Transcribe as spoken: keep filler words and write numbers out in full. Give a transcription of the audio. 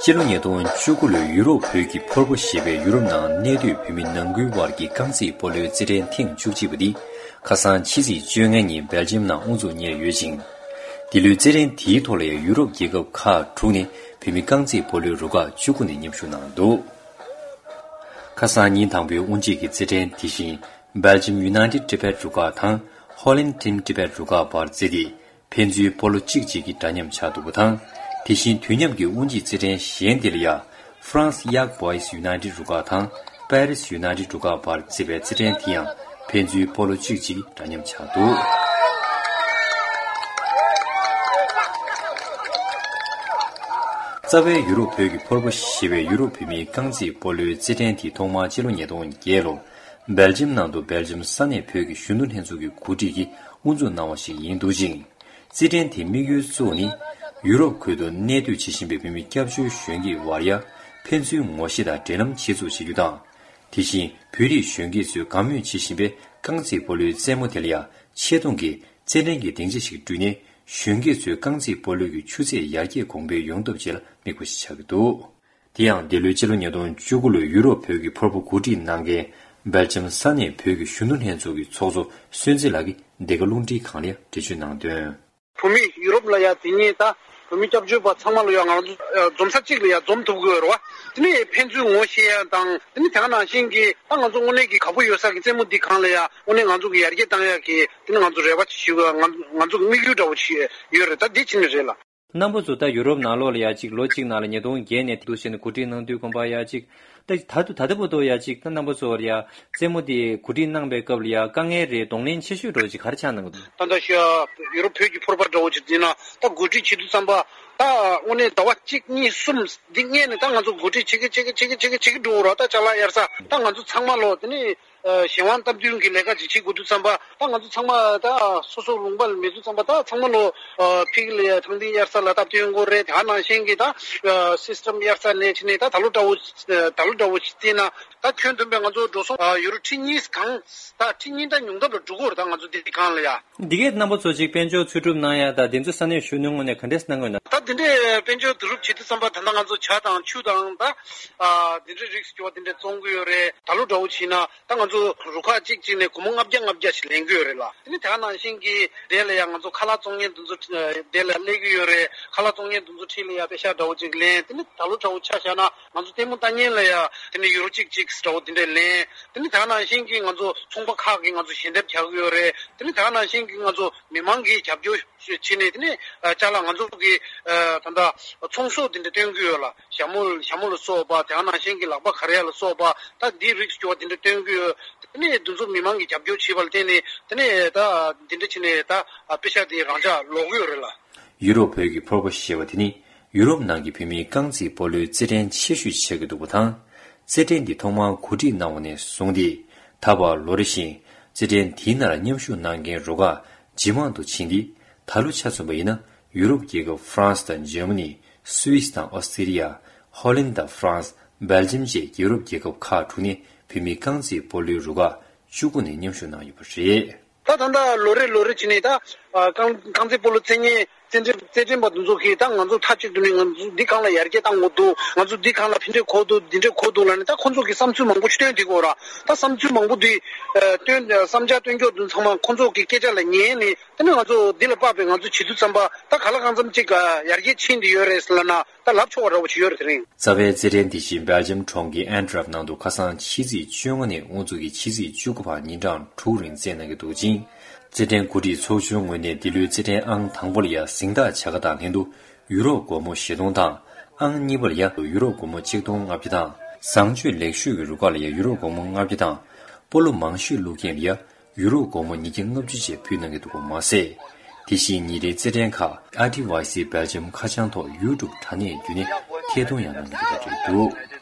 སྤྱི་ལོ་ཉིས་སྟོང་བཅུ་དགུ་ལོའི་ཡུ་རོབ་བོད་ཀྱི་ཕོར་པ་ཞེས་པའི་ཡུ་རོབ་ནང་གནས་སྡོད་བོད་མི་ནང་ཁུལ་དབར་གྱི་རྐང་རྩེད་སྤོ་ལོའི་རྩེད་འགྲན་ཐེངས་བཅུ་གཅིག་པ་འདི་ཁ་སང་ཕྱི་ཚེས་བཅོ་ལྔ་ཉིན་སྦེལ་ཇམ་ནང་དབུ་འཛུགས་གཉེར་ཡོད་ཅིང་། འདི་ལོའི་རྩེད་འགྲན་དེའི་ཐོག་ལ་ཡང་ཡུ་རོབ་རྒྱལ་ཁབ་ཁག་དྲུག་ནས་བོད་མི་རྐང་རྩེད་སྤོ་ལོའི་རུ་ཁག་བཅུ་དགུ་ནས་མཉམ་ཞུགས་གནང་འདུག་ཁ་སང་ཉིན་དང་པོའི་དབུ་འབྱེད་ཀྱི་རྩེད་འགྲན་དེ་བཞིན་སྦེལ་ཇམ་United Tibet རུ་ཁག་དང་ཧོ་ལན་Team Tibet རུ་ཁག་བར་རྩེད་དེ། ཕན་ཚུན་སྤོ་ལོ་གཅིག་གཅིག་གིས་འདྲ་མཉམ་ཆགས་འདུག་པ་དང་། དེ་བཞིན་དུས་མཉམ་གྱི་དབུ་འབྱེད་རྩེད་འགྲན་གཞན་དེ་ལ་ཡང་ཧྥ་རན་སི་Young Boys United རུ་ཁག་དང་པེ་རིས་United རུ་ཁག་བར་རྩེད་པའི་རྩེད་འགྲན་དེ་ཡང་ཕན་ཚུན་སྤོ་ལོ་གཅིག་གཅིག་གིས་འདྲ་མཉམ་ཆགས་འདུག་རྩ་བའི་ཡུ་རོབ་བོད་ཀྱི་ཕོར་པ་ཞེས་པའི་ཡུ་རོབ་བོད་མིའི་རྐང་རྩེད་སྤོ་ལོའི་རྩེད་འགྲན་དེ་ཐོག་མར་སྤྱི་ལོ་ཉིས་སྟོང་བརྒྱད་ལོར་སྦེལ་ཇམ་ནང་དུ་སྦེལ་ཇམ་ས་གནས་བོད་ཀྱི་གཞོན་ནུ་ལྷན་ཚོགས་ཀྱི་གོ་སྒྲིག་གིས་དབུ་འཛུགས་གནང་བ་ཞིག་ཡིན་འདུག་ཅིང་། རྩེད་འགྲན་དེའི་དམིགས་ཡུལ་གཙོ་བོ་ནི། ཡུ་རོབ་ཁུལ་དུ་གནས་སྡོད་བྱེད་བཞིན་པའི་བོད་མི་སྐྱབས་བཅོལ་གཞོན་སྐྱེས་བར་ཡ་ཕན་ཚུན་ངོ་ཤེས་དང་འབྲེལ་ལམ་བྱེད་ཚུགས་བྱེད་རྒྱུ་དང་། དེ་བཞིན་བོད་རིགས་གཞོན་སྐྱེས་ཚོས་དགའ་མོས་བྱེད་བཞིན་པའི་རྐང་རྩེད་སྤོ་ལོའི་རྩེད་མོ་དེ་ལ་ཡང་ཆེ་མཐོང་གི་རྩེད་འགྲན་གྱི་སྡིངས་ཆ་ཞིག་བསྐྲུན་ནས་གཞོན་སྐྱེས་ཚོའི་རྐང་རྩེད་སྤོ་ལོ་གི་ཆུ་ཚད་ཡར་རྒྱས་གོང་འཕེལ་ཡོང་ཐབས་བཅས་ལ་དམིགས་པ་ཞིག་ཆགས་ཀྱི་འདུག་དེ་ཡང་འདི་ལོའི་སྤྱི་ལོ་ཉིས་སྟོང་བཅུ་དགུ་ལོའི་ཡུ་རོབ་བོད་ཀྱི་ཕོར་པ་གོ་སྒྲིག་གནང་མཁན་སྦེལ་ཇམ་ས་གནས་བོད་ཀྱི་གཞོན་ནུ་ལྷན་ཚོགས་ཀྱི་ཚོགས་གཙོ་བསོད་འཛིན་ལགས་ཀྱིས་འདི་ག་རླུང་འཕྲིན་ཁང་ལ་འགྲེལ་བརྗོད་གནང་དོན། བོད་མི་ཡུ་རོབ་ལ་ཡ་དེ་ཉིད་ད་བོད་མི་སྐྱབས་བཅོལ་བ་ཚང་མ་ལ་ཡ་ང་ཚོ་འཛོམས་ས་གཅིག་ལ་ཡ་འཛོམས་ཐུབ་དགོས་རེད་བ། དེ་ནས་ཕན་ཚུན་ངོ་ཤེས་ཡ་དང་དེ་ནས་དེ་ག་ནང་བཞིན་གྱི་ད་ང་ཚོ་དངོས་གནས་ཀྱི་དགའ་པོ་ཡོད་ས་གི་རྩེད་མོ་འདི་སྒང་ལ་ཡ་དངོས་གནས་ང་ཚོ་གི་ཡར་རྒྱས་བཏང་ཡ་གི་དེ་ནས་ང་ཚོ་རེ་བ་ཞུ་གི་ང་ང་ཚོ་གི་དམིགས་ཡུལ་འདྲ་བོ་ཞིག་ཡོད་རེད། ད་འདི་ཕྱིན་ནས་རེད་ལ། རྣམ་པ་ཚོ་ད་ཡུ་རོབ་ནང་ལོགས་ལ་ཡ་གཅིག་ལོ་གཅིག་ནང་ལ་ཉིས་སྟོང་བརྒྱད་ནས་འདུག་བྱས་ནས་གོ་སྒྲིག་གནང་དུས་གོམ་པ་ཡ་གཅིག་ད་ད་ད་ལྟ་བར་དུ་ཡ་གཅིག་ད་རྣམ་པ་ཚོར་ཡ་རྩེད་མོ་དེ་གོ་སྒྲིག་གནང་པའི་སྐབས་ལ་ཡ་དཀའ་ངལ་རེད་གདོང་ལེན་ཆེ་ཤོས་འདྲ་བོ་ཅིག་ག་རེ་ཆགས་གནང་གི་འདུག་ད་ལྟ་ཤི་ཡ་ཡུ་རོབ་བོད་ཀྱི་ཕོར་པ་འདྲ་བོ་ཅིག་འཛིན་ན་ད་གོ་སྒྲིག་བྱེད་དུས་ཙམ་པ་ད་དངོས་གནས་ཟླ་བ་གཅིག་གཉིས་གསུམ་འདི་སྔས་ནས་ད་ང་ཚོ་གོ་སྒྲིག་བྱེད་ཀྱི་བྱེད་ཀྱི་བྱེད་ཀྱི་བྱེད་ཀྱི་བྱེད་ཀྱི་འགྲོ་རོགས། ད་ཅ་ལག་གཡར་ས་ད་ང་ཚོ་ཚང་མ་ལོ་དེ་ནས། གཞན་དབང་སྟབས་བསྟུན་གྱི་ལས་ཀ་ཅིག་བྱེད་དགོས་དུས་ཙམ་པ་ད་ང་ཚོ་ཚང་མ་ད་སོ་སོ་ལུང་པ་ལ་མེད་དུས་ཙམ་པ་ད་ཚང་མ་ལོ་ཕིག་ལ་ཐང་ཐིང་གཡར་ས་ལ་སྟབས་བསྟུན་དགོས་རེད། དེ་ག་ནང་བཞིན་གྱི་ད་སིས་ཊམ་གཡར་ས་ནས་ཕྱིན་ནས་ད་ད་ལོ་འདྲ་བོ་ད་ལོ་འདྲ་བོ་ཞིག་བལྟས་ན་ད་ཁྱོན་བསྡོམས་པའི་ང་ཚོ་འགྲོ་སོང་ཡུ་རོ་ཁྲི་གཉིས་གང་ད་ཁྲི་གཉིས་ད་ཉུང་མཐའ་ལ་འགྲོ་གི་རེད། ད་ང་ཚོ་འདི་གང་ལ་ཡ། འདི་གའི་རྣམ་པ་ཚོ་ཅིག་དཔལ་འབྱོར་འཚོལ་སྒྲུབ་གནང་ཡ་ད་འདི་ཚོ་ས་གནས་གཞོན་ནུའི་ངོས་ནས་ག་འདྲས་གནང་གི་ཡོད་ན། ད་འདི་འདྲའི་དཔལ་འབྱོར་བསྡུ་རུབ་བྱེད་དུས་ཙམ་པ་ད་ལྟ་ང་ཚོ་ཇ་དང་ཆུ་དང་ད་འདི་འདྲའི་རིགས་སྐྱོ་བ་འདི་འདྲས་བཙོང་གི་ཡོད་རེད། ད་ལོ་འདྲ་བོ་བྱས་ན། ད་ང་ཚོ་རུ་ཁག་གཅིག་གཅིག་ནས་སྒོར་མོ་ལྔ་བརྒྱ་ལྔ་བརྒྱ་ཞིག་ལེན་གྱི་ཡོད་རེད་ལ། དེ་ནས་དེ་ག་ནང་བཞིན་གྱི་དེ་ལ་ཡང་ང་ཚོ་ཁ་ལག་བཙོང་མཁན་དེ་ཚོ་དེ་ལ་སླེབས་ཀྱི་ཡོད་རེད། ཁ་ལག་བཙོང་མཁན་དེ་ཚོ་འཁྲིས་ལ་ཡང་པེ་ཤག་འདྲ་བོ་ཅིག་ལེན། དེ་ནས་ད་ལོ་འདྲ་བོ་ཆ་བཞག་ན་ང་ཚོ་ལྟད་མོ་ལྟ་མཁན་ལ་ཡང་དེ་ནས་ཡུ་རོ་གཅིག་གཅིག་འདྲ་བོ་དེ་འདྲས་ལེན། དེ་ནས་དེ་ག་ནང་བཞིན་གྱི་ང་ཚོ་ཚོང་པ་ཁག་གིས་ང་ཚོ་ཞལ་འདེབས་རྒྱག་གི་ཡོད་རེད། དེ་ནས་དེ་ག་ནང་བཞིན་གྱི་ང་ཚོ་མི་མང་གིས་རྒྱབ་སྐྱོར་བྱས་ནས་དེ་ནས་ཅ་ལག་ང་ཚོ་གི་ད་ལྟ་ཚོང་ཟོག་དེ་འདྲ་སྟོན་གྱི་ཡོད་ལ། ཞྭ་མོ་ཞྭ་མོ་ལ་སོགས་པ་དེ་ག་ནང་བཞིན་གྱི་ལག་པ་ག་རེ་ཡ་ལ་སོགས་པ་ད་འདི་རིགས་སྐྱོ་བ་དེ་འདྲ་སྟོན་གྱི་ཡོད། དེ་ནས་འདི་ཚོ་མི་མང་གིས་རྒྱབ་སྐྱོར་བྱས་པ་ལ་བརྟེན་ནས་དེ་ནས་ད་འདི་འདྲ་བྱས་ནས་ད་པེ་ཤག་དེ་རང་འཇགས་ལོག་གི་ཡོད་རེད་ལ། ཡུ་རོབ་བོད་ཀྱི་ཕོར་པ་ཞེས་པ་དེ་ནི་ཡུ་རོབ་ནང་གི་བོད་མིའི་རྐང་རྩེད་སྤོ་ལོའི་རྩེད་འགྲན་ཆེ་ཤོས་ཆགས་ཀྱི་འདུག་པ་དང་། རྩེད་འགྲན་འདི་ཐོག་མར་གོ་སྒྲིག་གནང་བ་ནས་བཟུང་སྟེ། ད་བར་ལོ་རེ་བཞིན་རྩེད་འགྲན་དེའི་ནང་ལ་མཉམ་ཞུགས་གནང་མཁན་རུ་ཁག་ཇེ་མང་དུ་ཕྱིན་ཏེ། ད་ལོ་ཆ་མཚོན་པ་ཡིན་ན་ཡུ་རོབ་རྒྱལ་ཁབ་ཧྥ་རན་སི་དང་འཇར་མ་ནི། སུད་སི་དང་ཨོ་སི་ཏྲེ་ལི་ཡ། ཧོ་ལན་དང་ཧྥ་རན་སི། སྦེལ་ཇམ་བཅས་ཡུ་རོབ་རྒྱལ་ཁབ་ཁག་དྲུག་ནས་བོད་མིའི་རྐང་རྩེད་སྤོ་ལོའི་རུ་ཁག་བཅུ་དགུ་ནས་མཉམ་ཞུགས་གནང་ཡོད་པ་རེད། ད་ད་ལྟ་ལོ་རེ་ལོ་རེ་བྱས་ནས་ད་རྐང་རྐང་རྩེད་སྤོ་ལོ་རྩེད་མཁན་རྩེད་འགྲན་རྩེད་འགྲན་པ་དེ་ཚོ་གིས་ད་ང་ཚོ་མཐའ་གཅིག་ཏུ་ནས་ང་ཚོ་འདི་སྒང་ལ་ཡར་རྒྱས་བཏང་དགོས་འདུག་ང་ཚོ་འདི་སྒང་ལ་ཕན་འབྲས་གོ་འདུག་འདི་འདྲས་གོ་འདུག་ལབ་ནས་ད་ཁོང་ཚོ་གིས་བསམ་ཚུལ་མང་པོ་ཞིག་བཏོན་བསྡད་ཀྱི་ཡོད་ར། ད་བསམ་ཚུལ་མང་པོ་འདི་བཏོན་བསམ་འཆར་བཏོན་རྒྱུ་དེ་ཚང་མ་ཁོང་ཚོ་གི་སྐད་ཆ་ལ་ཉན་ནས་དེ་ནས་ང་ཚོ་འདི་ལ་དཔག་པའི་ང་ཚོ་བྱེད་དུས་ཙམ་པ་ད་ག་ལ་གང་འཚམ་ཅིག་ཡར་རྒྱས་ཕྱིན་བསྡད་ཡོད་རེད་ལབ་ན་ད་ལབ་ཆོག་པ་འདྲ་བོ་ཅིག་ཡོད་རེད་དེ་རིང་། རྩ་བའི་རྩེད་འགྲན་དེ་བཞིན་སྦེལ་ཇམ་གྲོང་ཁྱེར་ཨན་ཏྲེབ་ནང་དུ་ཁ་སང་ཕྱི་ཚེས་བཅོ་ལྔ་ནས་དབུ་འཛུགས་ཀྱིས་ཕྱི་ཚེས་བཅུ་དགུ་བར་ཉིན་གྲངས་དྲུག་རིང་རྩེད་གནང་གི་འདུག་ཅིང་། རྩེད་འགྲན་གོ་སྒྲིག་ཚོགས་ཆུང་ངོས་ནས་འདི་ལོའི་རྩེད་འགྲན་ཨང་དང་པོ་ལ་ཡང་གཟེངས་རྟགས་བྱ་དགའ་དང་ལྷན་དུ་ཡུ་རོ་སྒོར་མོ་བཞི་སྟོང་དང་། ཨང་གཉིས་པ་ལ་ཡང་ཡུ་རོ་སྒོར་མོ་གཅིག་སྟོང་ལྔ་བརྒྱ་དང་། བཟང་སྤྱོད་ལེགས་ཤོས་ཀྱི་རུ་ཁག་ལ་ཡང་ཡུ་རོ་སྒོར་མོ་ལྔ་བརྒྱ་དང་། སྤོ་ལོ་མང་ཤོས་བླུགས་མཁན་ལ་ཡང་ཡུ་རོ་སྒོར་མོ་ཉིས་བརྒྱ་ལྔ་བཅུ་བཅས་ཕུལ་གནང་གི་འདུག་པ་མ་ཟད། དེ་བཞིན་ཉིན་རེའི་རྩེད་འགྲན་ཁག་ཨར་ཊི་ཝའི་སི་སྦེལ་ཇམ་ཁ་བྱང་ཐོག་ཡུ་ཊུབ་དྲ་གནས་བརྒྱུད་ནས་ཐད་གཏོང་ཡང་གནང་གི་ཡོད་པ་རེད་འདུག